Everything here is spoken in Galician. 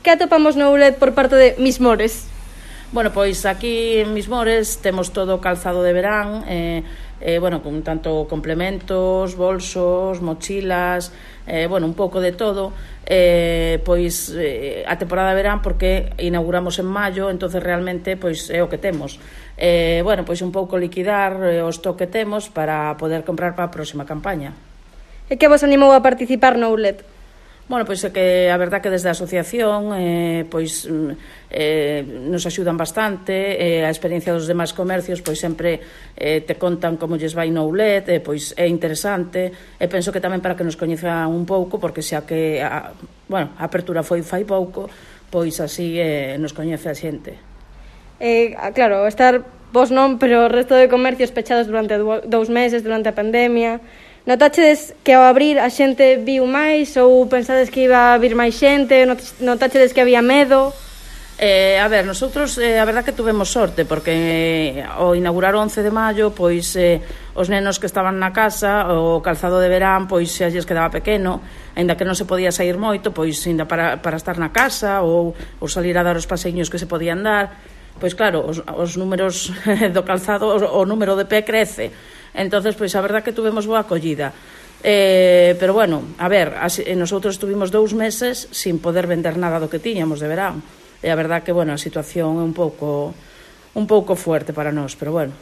Que atopamos no outlet por parte de Mismores? Bueno, pois aquí en Mismores temos todo calzado de verán, con tanto complementos, bolsos, mochilas, un pouco de todo. A temporada de verán porque inauguramos en maio, entonces realmente pois é o que temos. Un pouco liquidar o stock que temos para poder comprar para a próxima campaña. E que vos animou a participar no outlet? Bueno, pois é que a verdad que desde a asociación nos axudan bastante, a experiencia dos demais comercios pois sempre te contan como lles vai no outlet, pois é interesante, e penso que tamén para que nos coñezan un pouco, porque xa que a apertura foi fai pouco, pois así nos coñece a xente. Claro, estar vos non, pero o resto de comercios pechados durante 2 meses, durante a pandemia. Notáchedes que ao abrir a xente viu máis ou pensades que iba a vir máis xente? Notáchedes que había medo? Nosotros a verdad que tuvemos sorte porque ao inaugurar o 11 de maio pois os nenos que estaban na casa, o calzado de verán pois xa lles quedaba pequeno, aínda que non se podía sair moito, pois ainda para estar na casa ou salir a dar os paseiños que se podían dar, pois claro, os números do calzado, o número de pé crece. Entonces, pois a verdad que tuvemos boa acollida. Pero bueno, nosotros estuvimos 2 meses sin poder vender nada do que tiñamos de verán. E a verdad que, a situación é un pouco fuerte para nós, pero bueno.